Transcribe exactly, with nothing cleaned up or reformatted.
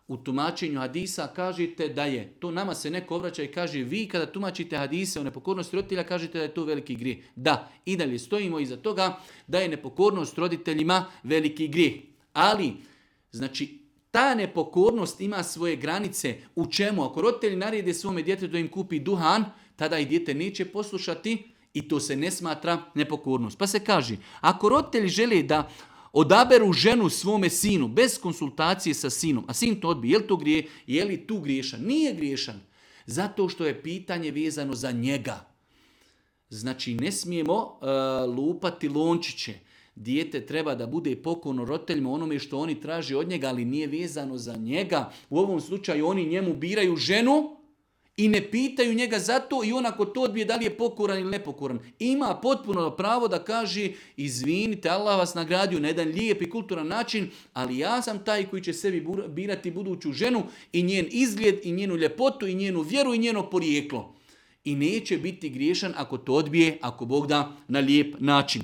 u tumačenju hadisa kažete da je, to nama se neko obraća i kaže, vi kada tumačite hadise o nepokornosti roditelja kažete da je to veliki grijeh. Da, i dalje stojimo iza toga da je nepokornost roditeljima veliki grijeh. Ali, znači, ta nepokornost ima svoje granice. U čemu? Ako roditelji narede svome djetetu da im kupi duhan, tada i dijete neće poslušati i to se ne smatra nepokornost. Pa se kaže, ako roditelji žele da odaberu ženu svome sinu bez konsultacije sa sinom, a sin to odbije, je li to grije, je li tu griješan? Nije griješan, zato što je pitanje vezano za njega. Znači, ne smijemo uh, lupati lončiće. Dijete treba da bude pokorno roditeljima onome što oni traže od njega, ali nije vezano za njega. U ovom slučaju oni njemu biraju ženu i ne pitaju njega za to i on ako to odbije da li je pokoran ili nepokoran. Ima potpuno pravo da kaže, izvinite, Allah vas nagradio na jedan lijep i kulturan način, ali ja sam taj koji će sebi birati buduću ženu i njen izgled i njenu ljepotu i njenu vjeru i njeno porijeklo. I neće biti griješan ako to odbije, ako Bog da, na lijep način.